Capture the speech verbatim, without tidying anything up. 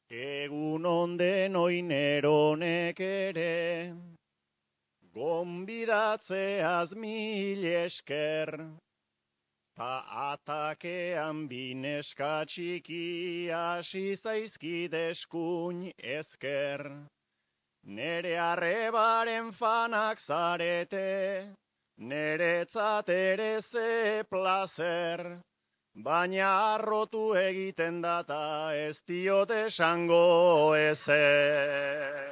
Egun onden oineronek ere, gonbidatzeaz mil esker, ta atakean bineska txiki hasi zaizkid eskuin ezker. Nere arrebaren fanak zarete, neretzat ere ze plazer, baina arrotu egiten data ez diot esango ezer.